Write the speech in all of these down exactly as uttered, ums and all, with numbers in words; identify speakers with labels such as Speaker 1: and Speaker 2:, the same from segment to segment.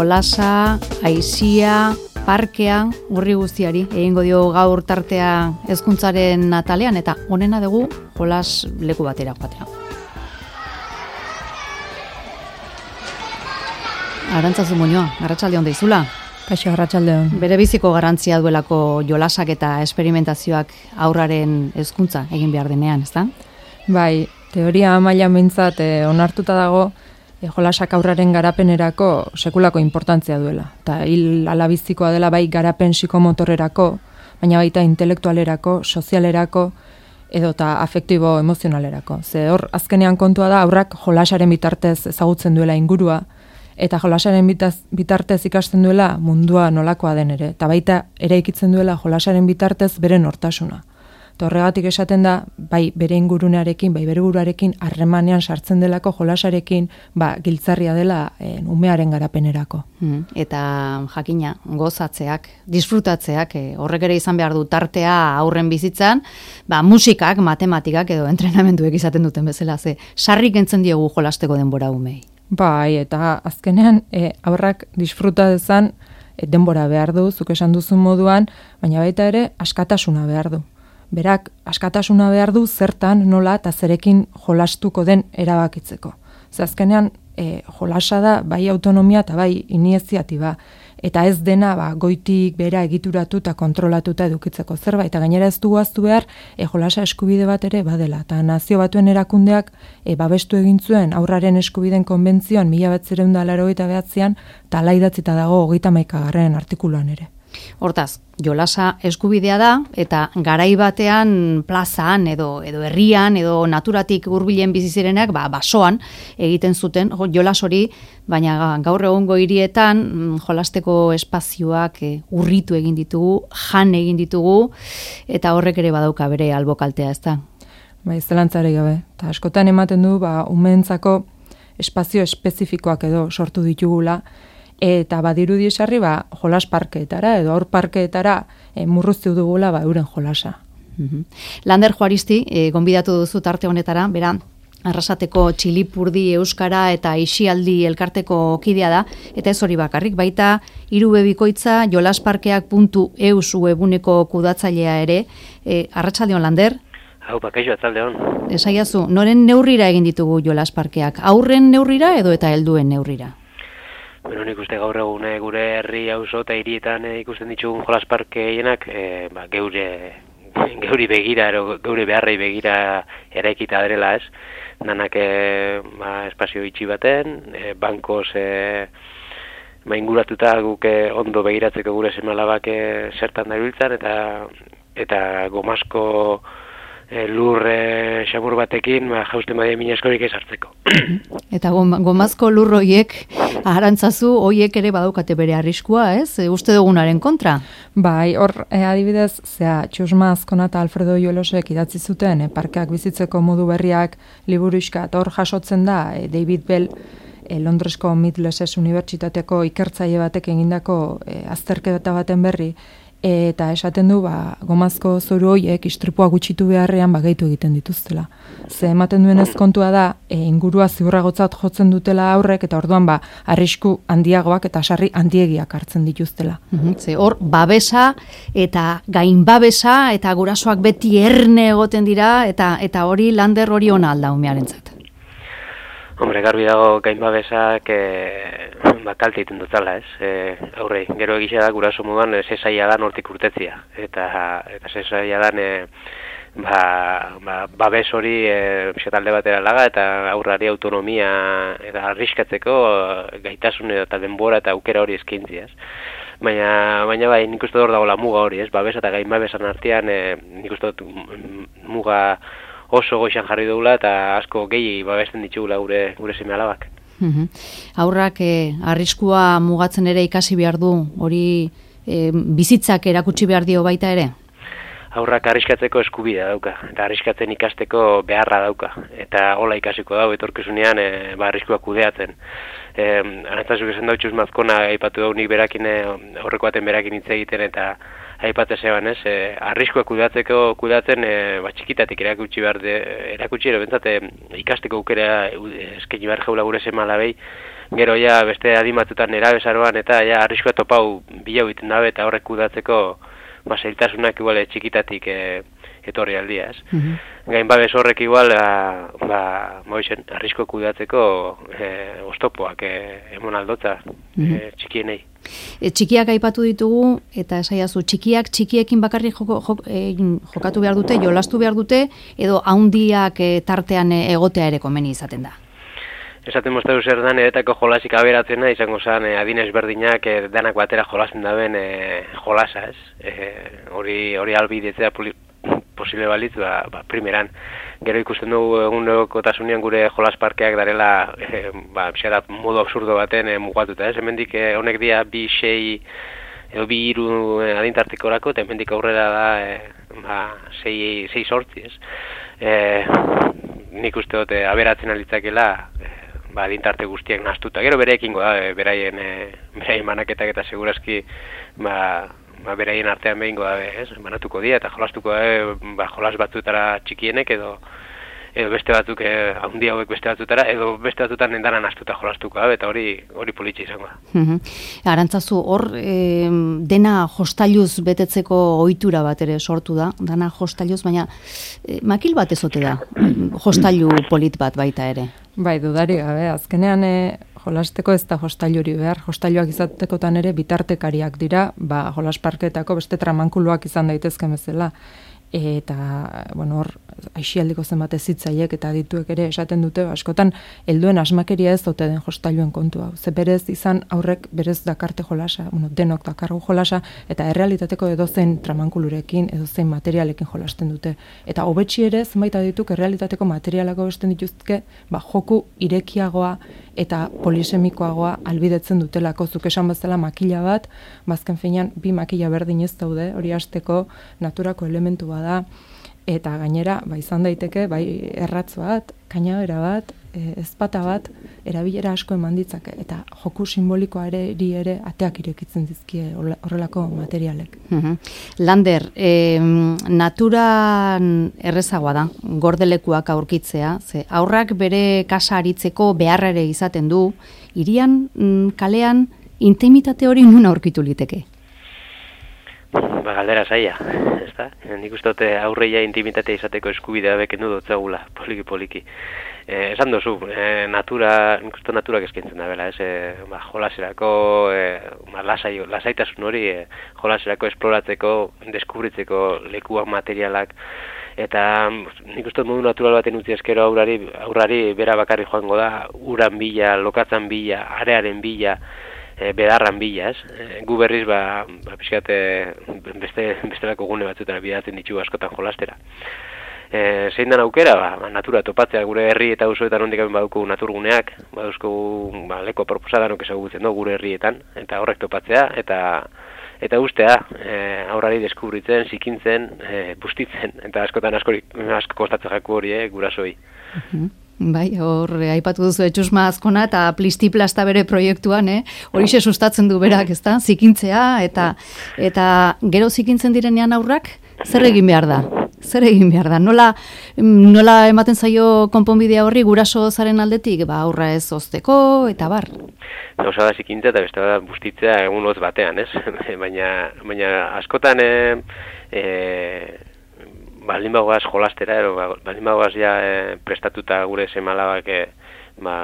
Speaker 1: jolasa, aisia, parkea, urri guztiari, egingo dio gaur tartea hezkuntzaren atalean, eta honena dugu jolas leku batera joatea. Arantzazu Muñoa, arratsalde on deizula.
Speaker 2: Kaixo, arratsalde on.
Speaker 1: Bere biziko garrantzia duelako jolasak eta esperimentazioak aurraren hezkuntza egin behar denean, ezta?
Speaker 2: Bai, teoria mailan behintzat eh, onartuta dago eh, jolasak aurraren garapenerako sekulako inportantzia duela. Eta hil alabizikoa dela bai garapen psikomotorrerako, baina baita intelektualerako, sozialerako, edota afektibo emozionalerako. Ze hor, azkenean kontua da, aurrak jolasaren bitartez ezagutzen duela ingurua, eta jolasaren bitaz, bitartez ikasten duela mundua nolakoa den ere. Eta baita eraikitzen duela jolasaren bitartez bere nortasuna. Eta horregatik esaten da, bai bere ingurunearekin, bai bere buruarekin harremanean sartzen delako jolasarekin, ba, giltzarria dela eh, umearen garapenerako.
Speaker 1: Hmm. Eta jakina, gozatzeak, disfrutatzeak, eh, horrek ere izan behar du tartea aurren bizitzan, ba, musikak, matematikak edo entrenamenduek izaten duten bezala, ze sarrik entzen diegu jolasteko denbora umei.
Speaker 2: Bai, eta azkenean e, aurrak disfruta dezan e, denbora behar du, zuk esan duzun moduan, baina baita ere askatasuna behar du. Berak askatasuna behar du zertan, nola eta zerekin jolastuko den erabakitzeko. Ze azkenean e, jolasa da bai autonomia eta bai iniziatiba. Eta ez dena ba, goitik bera egituratu eta kontrolatuta edukitzeko zerbait. Eta gainera ez du guaztu behar e, jolasa eskubide bat ere badela. Eta nazio batuen erakundeak e, babestu egin zuen aurraren eskubideen konbentzioan mila bederatziehun eta laurogeita bederatzian eta hala idatzita dago hogeita hamaikagarren artikuluan ere.
Speaker 1: Hortaz, jolasa eskubidea da, eta garai batean plazan edo edo herrian edo naturatik hurbilen bizi zirenak, ba basoan egiten zuten jo, jolas hori, baina gaur egungo hirietan jolasteko espazioak e, urritu egin ditugu, jan egin ditugu, eta horrek ere badauka bere albokaltea, ezta?
Speaker 2: Bai, zelantzari gabe. Ta askotan ematen du ba umeentzako espazio espezifikoak edo sortu ditugula. Eta badirudi esarri ba, jolas parkeetara edo aur parkeetara e, murruztu dugula ba, euren jolasa.
Speaker 1: Mm-hmm. Lander Juaristi, e, gonbidatu duzu tarte honetara, bera, Arrasateko Txilipurdi Euskara eta Isialdi elkarteko kidea da, eta ez hori bakarrik, baita irubebikoitza jolasparkeak puntu eus webuneko kudatzailea ere. E, Arratsaldeon Lander?
Speaker 3: Hau, bakaixo, atzaldeon.
Speaker 1: Esaiazu, noren neurrira egin ditugu jolasparkeak? Aurren neurrira edo eta helduen neurrira?
Speaker 3: Bueno, nik uste gaur egun gure herri auzo eta hirietan e, ikusten ditugun jolasparkeienak e, ba, geure, geuri begira, ero, geure beharrei begira eraikita direla, ez? Danak e, ba, espazio itxi baten, e, bankoz e, ba, inguratuta guk e, ondo begiratzeko gure seme-alabak e, zertan dabiltzan, eta, eta gomasko E, lur e, xamur batekin ba, jausten badia mina eskorik ez hartzeko.
Speaker 1: Eta gomazko lur hoiek, Arantzazu, hoiek ere badaukate bere arriskua, ez? E, uste dugunaren kontra?
Speaker 2: Bai, hor e, adibidez, zea, Txusma Azkona eta Alfredo Iolosek idatzi zuten, e, parkeak bizitzeko modu berriak liburuxka, eta hor jasotzen da, e, David Bell, e, Londresko Middlesex Unibertsitateko ikertzaile batek egindako e, azterketa baten berri, eta esaten du ba, gomazko zoru horiek istripua gutxitu beharrean ba, gehitu egiten dituztela. Ze ematen duenez kontua da, e, ingurua ziurragotzat jotzen dutela aurrek, eta orduan ba, arrisku handiagoak eta sarri handiegiak hartzen dituztela.
Speaker 1: Mm-hmm. Ze hor, babesa eta gainbabesa eta gurasoak beti erne egoten dira, eta eta hori Lander hori ona alda umearentzat.
Speaker 3: Hombre, garbi dago gainbabesak e, ba, kalte egiten dutela, ez? E, aurrei, gero egisa da guraso moduan e, zezaila da nortik urtetzia. Eta, eta zezaila da e, ba, ba, babes hori e, talde batera laga eta aurrari autonomia eta arriskatzeko gaitasun eta denbora eta aukera hori eskaintziaz. Baina, baina bai, nik uste hor dago la muga hori, ez? Babes eta gainbabesan artean e, nik uste muga oso goizan jarri dugula eta asko gehi babesten ditugula gure gure seme-alabak.
Speaker 1: Mm-hmm. Aurrak eh, arriskua mugatzen ere ikasi behar du, hori eh, bizitzak erakutsi behar dio baita ere?
Speaker 3: Aurrak arriskatzeko eskubidea dauka, eta arriskatzen ikasteko beharra dauka, eta hola ikasiko dau etorkizunean e, ba, arriskuak kudeatzen. E, Arantzazuk esan dautxuz mazkona aipatu dau nik berakin, e, horreko baten berakin hitz egiten, eta aipate zeban, ez, e, arriskoa kudatzeko kudatzen e, ba, txikitatik erakutsi behar de, erakutsi ere bentsat ikasteko aukera eskaini behar jaula gure seme-alabei, gero ja beste adimatzutan nerabezaroan eta ja arriskoa topau bilau egiten dabe eta horrek kudatzeko ba, zailtasunak igual txikitatik e, etorri aldia, ez. Mm-hmm. Gain babes horrek igual, ba, ba, moixen, arrisko kudatzeko e, oztopoak e, emon aldotza mm-hmm. e, txikienei.
Speaker 1: E, txikiak aipatu ditugu, eta esaiazu, txikiak txikiekin bakarrik joko, jok, e, jokatu behar dute, jolastu behar dute, edo haundiak e, tartean egotea ere komeni izaten da?
Speaker 3: Esaten moztatu zer dan, eretako jolasik aberatzena, izango zen, e, adinez berdinak e, danak batera jolasten daben e, jolasa, ez? E, hori, hori albidetzea posible balitz, ba, ba, primeran. Gero ikusten dugu egunerokotasunean gure jolasparkeak darela, e, ba, pixara, modu absurdo baten e, mugatuta, ez? Hemendik e, honek dia bi, sei, edo bi hiru e, adintartikorako, eta hemendik aurrera da, e, ba, sei, sei sortzi, ez? E, nik uste dute aberatzen alitzakela, e, ba, adintarte guztiak nahastuta. Gero bereekingo da, e, beraien, e, beraien manaketak eta segurazki, ba, ba, beraien artean behingo da, ez, banatuko dira, eta jolastuko da, ba, jolas batzutara txikienek, edo, edo beste batzuk, eh, haundi hauek beste batzutara, edo beste batzutan endanan astuta jolastuko da, eta hori hori politxe izango da.
Speaker 1: Mm-hmm. Arantzazu, hor e, dena jostailuz betetzeko ohitura bat ere sortu da, dana jostailuz, baina e, makil bat ezote da, jostailu polit bat baita ere.
Speaker 2: Bai, dudari gabe, azkenean e, jolasteko ez da jostailuri behar, jostailuak izatekotan ere bitartekariak dira, ba, jolasparketako beste tramankuluak izan daitezken bezala. Eta, bueno, hor, aixialdiko zenbat ezitzaiek eta dituek ere esaten dute, askotan, helduen asmakeria ez dote den jostailuen kontua. Ze berez izan aurrek berez dakarte jolasa, bueno, denok dakargu jolasa, eta errealitateko edozein tramankulurekin, edozein materialekin jolasten dute. Eta hobetsi ere, zenbait adituk, errealitateko materialako besten dituzke, ba, joku irekiagoa eta polisemikoagoa albidetzen dutelako, zuk esan bezala makila bat, bazken finean, bi makila berdin ez daude, hori hasteko naturako elementu da, eta gainera, ba, izan daiteke, bai, erratz bat, kainabera bat, e, ezpata bat, erabilera asko eman ditzake, eta joku simbolikoa ere, ere ateak irekitzen dizkie horrelako materialek.
Speaker 1: Mm-hmm. Lander, e, naturan errezagoa da, gordelekuak aurkitzea, ze aurrak bere kasa aritzeko beharra ere izaten du, hirian, kalean, intimitate hori nun aurkitu liteke?
Speaker 3: Ba, galdera zaila, ez da? Nik uste dute aurreia intimitatea izateko eskubidea bekendu dotzagula, poliki-poliki. Eh, esan duzu, eh, natura, nik uste naturak eskaintzen da bela, ez? Eh, ba, jolaserako, eh, ba, lasai, lasaitasun hori, eh, jolaserako, esploratzeko, deskubritzeko lekuak, materialak, eta nik uste modu natural baten utzi eskero aurrari, aurrari bera bakarri joango da, uran bila, lokatzan bila, arearen bila, E, bedarran bila, ez? E, gu berriz, ba, ba pixkate beste, bestelako gune batzutan bidatzen ditugu askotan jolastera. E, zein den aukera, ba, natura topatzea gure herri eta auzoetan hondik baduko naturguneak, baduzko ba, leko proposadanok ezagutzen du gure herrietan, eta horrek topatzea, eta eta ustea, e, aurrari deskubritzen, zikintzen, e, bustitzen, eta askotan asko, asko kostatzen jaku hori, eh, gurasoi.
Speaker 1: Uh-huh. Bai, hor, aipatu duzu etxusma azkona eta plistiplasta bere proiektuan, eh? Horixe sustatzen du berak, ezta? Zikintzea, eta eta gero zikintzen direnean aurrak, zer egin behar da? Zer egin behar da? Nola, nola ematen zaio konponbidea horri guraso zaren aldetik? Ba, aurra ez ozteko, eta bar.
Speaker 3: Gauza da zikintza eta beste da bustitzea egun hotz batean, ez? baina, baina askotan, e, e, baldin bagoaz jolastera, ero, baldin bagoaz ja e, prestatuta gure seme-alabak e, ba,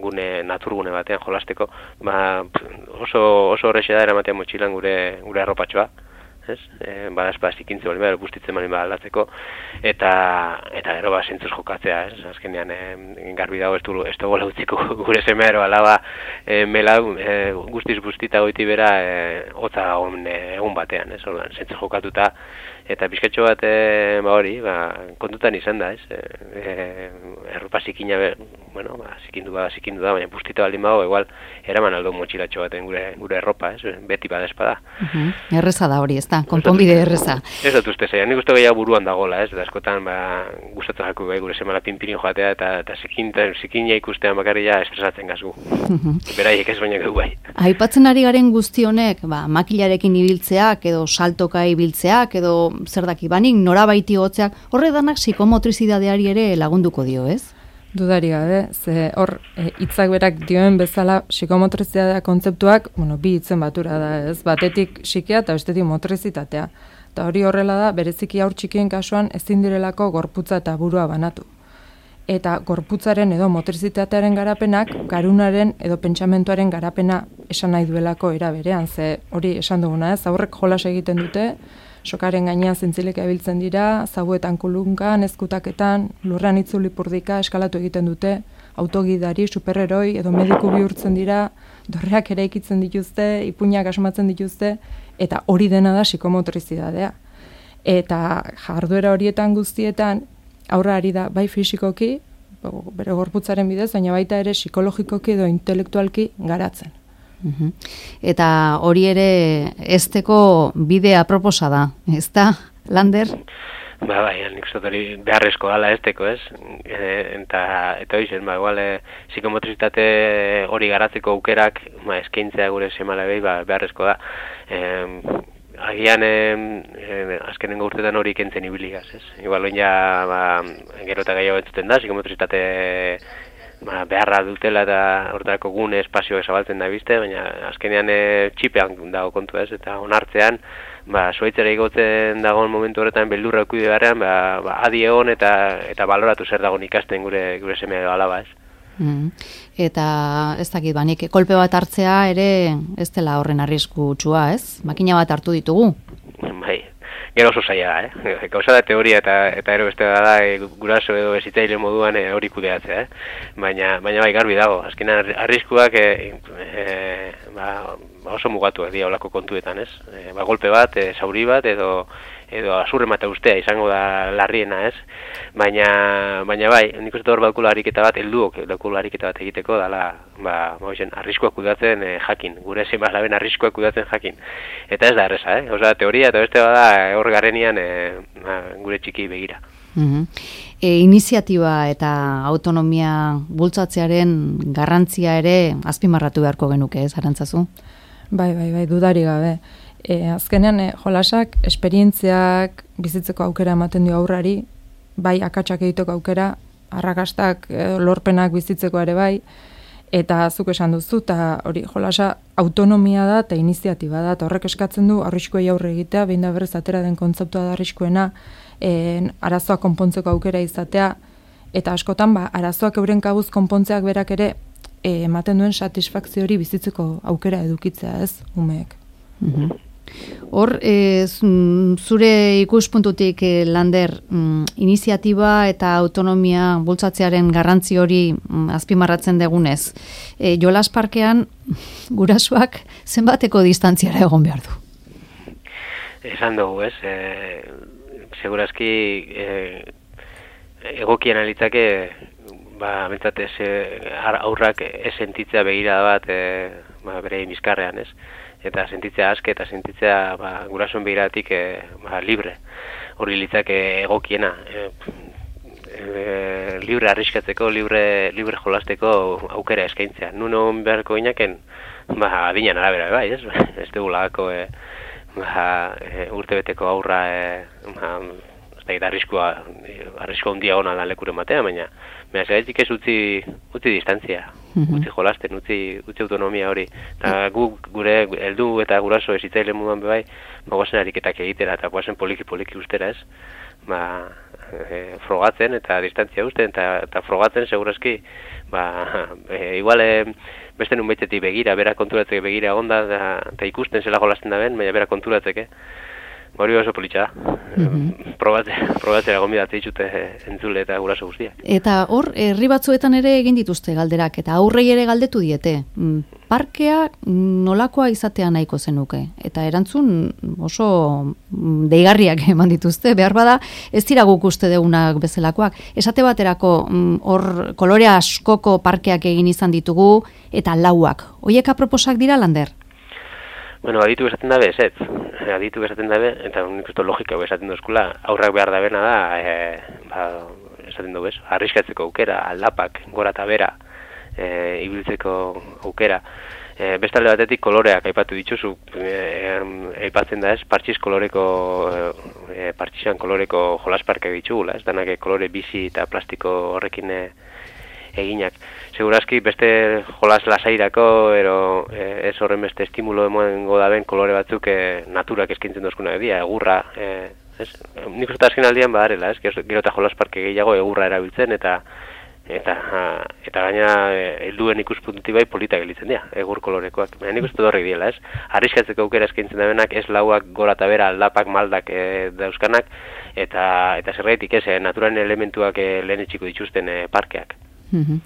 Speaker 3: gune naturgune batean jolasteko, ba, oso, oso horrexe da eramatean motxilan gure, gure arropatxoa, ez? E, badaz, ba, zikintze baldin bada, bustitzen baldin bada aldatzeko, eta, eta gero ba, zentzuz jokatzea, ez? Azkenean, e, garbi dago ez du, ez dugu lautziko gure semea ero alaba e, mela e, guztiz bustita goiti bera e, hotza dagoen e, egun batean, ez? Orduan, zentzuz jokatuta, eta pizkatxo bat e, ba hori, ba, kontutan izan da, ez? E, e, erropa zikina, bueno, ba, zikindu ba, zikindu da, baina bustita baldin bago, igual, eraman aldo motxilatxo baten gure, gure erropa, ez? Beti badespada.
Speaker 1: Uh-huh. Erreza da hori, ez da, konponbide erreza.
Speaker 3: Ez dut uste zean, nik uste gehiago buruan dagoela, ez? Eta askotan, ba, gustatu jaku bai, gure semala pinpirin joatea, eta, eta zikin, zikina ikustean bakarria estresatzen gazgu. Uh-huh. Beraiek ez baina gau bai.
Speaker 1: Aipatzen ari garen guzti honek, ba, makilarekin ibiltzeak, edo saltoka ibiltzeak, edo zer daki banik, norabaiti gotzeak, horre danak psikomotrizidadeari ere lagunduko dio, ez?
Speaker 2: Dudari gabe, ze hor hitzak berak dioen bezala psikomotrizidadea kontzeptuak, bueno, bi hitzen batura da, ez? Batetik psikea eta bestetik motrizitatea. Eta hori horrela da, bereziki haur txikien kasuan ezin direlako gorputza eta burua banatu. Eta gorputzaren edo motrizitatearen garapenak, garunaren edo pentsamentuaren garapena esan nahi duelako era berean, ze hori esan duguna, ez? Aurrek jolas egiten dute, sokaren gainean zintzileka ibiltzen dira, zabuetan kulunkan, ezkutaketan, lurrean itzulipurdika eskalatu egiten dute, autogidari, superheroi edo mediku bihurtzen dira, dorreak ere ikitzen dituzte, ipuinak asmatzen dituzte, eta hori dena da psikomotrizidadea. Eta jarduera horietan guztietan, aurra ari da bai fisikoki, bere gorputzaren bidez, baina baita ere psikologikoki edo intelektualki garatzen.
Speaker 1: Uhum. Eta hori ere ezteko bide aproposa da, ez da, Lander?
Speaker 3: Ba, bai, nik uste hori beharrezko gala ezteko, ez? E, eta, eta hori zen, ba, igual, e, psikomotrizitate hori garatzeko aukerak, ba, eskaintzea gure semala behi, ba, beharrezko da. E, agian, e, e, azkenengo urtetan hori kentzen ibiligaz, ez? Igual, oin ja, ba, gero eta gehiago entzuten da, psikomotrizitate ba, beharra dutela eta horretarako gune espazioak zabaltzen da bizte, baina azkenean e, txipean dago kontu, ez? Eta onartzean, ba, zuaitzera igotzen dagoen momentu horretan beldurra ekuide beharrean, ba, ba, adi egon eta, eta baloratu zer dagoen ikasten gure, gure seme edo alaba, ez?
Speaker 1: Mm. Eta ez dakit, banik kolpe bat hartzea ere ez dela horren arriskutsua, ez? Makina bat hartu ditugu.
Speaker 3: Bai, gero oso zaila da, eh? Gauza da teoria eta eta ero beste da, e, guraso edo bezitzaile moduan e, hori kudeatzea, eh? Baina, baina bai garbi dago, azkenan arriskuak e, e, ba, oso mugatuak dira olako kontuetan, ez? E, ba, golpe bat, e, zauri bat, edo edo azurremata ustea izango da larriena, ez? Baina, baina bai, nik uste hor badukula ariketa bat, helduok badukula ariketa bat egiteko, dala, ba, ba arriskuak kudatzen e, jakin, gure zenbaz laben arriskuak kudatzen jakin. Eta ez da erreza, eh? Osa, teoria eta beste bada hor garrenian e, ba, gure txiki begira.
Speaker 1: Mm-hmm. E, iniziatiba eta autonomia bultzatzearen garrantzia ere azpimarratu beharko genuke, ez, Arantzazu?
Speaker 2: Bai, bai, bai, dudari gabe. E, azkenean, e, jolasak, esperientziak bizitzeko aukera ematen dio aurrari, bai akatsak egiteko aukera, arrakastak, e, lorpenak bizitzeko ere bai, eta zuk esan duzu, eta hori jolasa autonomia da eta iniziatiba da, eta horrek eskatzen du arriskuei aurre egitea, behin da berrez atera den kontzeptua da arriskuena, e, arazoak konpontzeko aukera izatea, eta askotan ba, arazoak euren kabuz konpontzeak berak ere e, ematen duen satisfakzio hori bizitzeko aukera edukitzea, ez, umeek.
Speaker 1: Mm-hmm. Hor, e, zure ikuspuntutik, e, Lander, mm, iniziatiba eta autonomia bultzatzearen garrantzi hori mm, azpimarratzen degunez, e, jolas parkean gurasoak zenbateko distantziara egon behar du?
Speaker 3: Esan dugu, ez? E, segurazki e, egokien alitzake, ba, bentsat ez, aurrak ez sentitzea begira bat e, ba, bere bizkarrean, ez? Eta sentitzea aske eta sentitzea ba, gurasoen begiratik e, ba, libre. Hori litzake egokiena. E, e, libre arriskatzeko, libre, libre jolasteko aukera eskaintzea. Nuno beharko inaken, ba, adinan arabera, bai, ez? Ez dugu lagako e, ba, e, urtebeteko aurra e, ba, ez da arriskua, arriskua hundia hona lan lekure matea, baina baina zeraitik ez utzi, utzi distantzia, mm-hmm. utzi jolasten, utzi, utzi autonomia hori. Eta gu, gure heldu eta guraso ezitzaile moduan bebai, ba, guazen ariketak egitera eta guazen poliki-poliki ustera, ez? Ba, e, frogatzen eta distantzia usten, eta, eta frogatzen segurazki, ba, e, igual e, beste nun baitetik begira, bera konturatzeke begira onda, eta ikusten zela jolasten da ben, baina bera konturatzeke. hori oso politxa da. Mm-hmm. Probatzera gombidatzea ditute entzule eta guraso guztiak.
Speaker 1: Eta hor, herri batzuetan ere egin dituzte galderak, eta aurrei ere galdetu diete. Parkea nolakoa izatea nahiko zenuke? Eta erantzun oso deigarriak eman dituzte, behar bada ez dira guk uste deunak bezalakoak. Esate baterako hor kolore askoko parkeak egin izan ditugu, eta lauak. Hoiek aproposak dira, Lander?
Speaker 3: Bueno, aditu esaten dabe, ez ez. Aditu esaten dabe, eta nik uste logika esaten duzkula, aurrak behar dabena da, e, ba, esaten dugu ez, arriskatzeko aukera, aldapak, gora eta bera, e, ibiltzeko aukera. E, bestalde batetik koloreak aipatu dituzu, aipatzen da ez, partxiz koloreko, e, partxizan koloreko jolasparkeak ditugula, ez danak kolore bizi eta plastiko horrekin e, eginak. Segurazki beste jolas lasairako ero e, ez horren beste estimulo emango daben kolore batzuk e, naturak eskaintzen dozkuna edia, egurra, e, ez? Nik uste azken aldian badarela, ez? Gero eta jolasparke gehiago egurra erabiltzen eta eta eta gaina helduen ikuspuntutik bai politak gelitzen dira, egur kolorekoak. Baina nik uste horrek diela, ez? Arriskatzeko aukera eskaintzen dabenak ez lauak gora eta bera aldapak maldak e, dauzkanak eta eta zergaitik ez, e, naturalen elementuak e, lehen etxiko dituzten e, parkeak.
Speaker 1: Mm-hmm.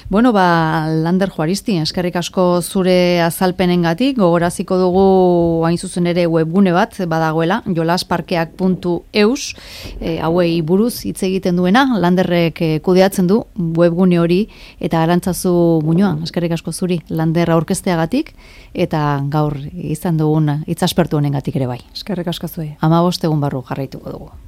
Speaker 1: Bueno, ba, Lander Juaristi, eskerrik asko zure azalpenengatik, gogoraziko dugu hain zuzen ere webgune bat badagoela, jolasparkeak puntu eus, e, hauei buruz hitz egiten duena, Landerrek e, kudeatzen du webgune hori, eta Arantzazu Muñoa, eskerrik asko zuri, Lander aurkezteagatik, eta gaur izan dugun hitzaspertu honengatik ere bai.
Speaker 2: Eskerrik asko zuei.
Speaker 1: hamabost egun barru jarraituko dugu.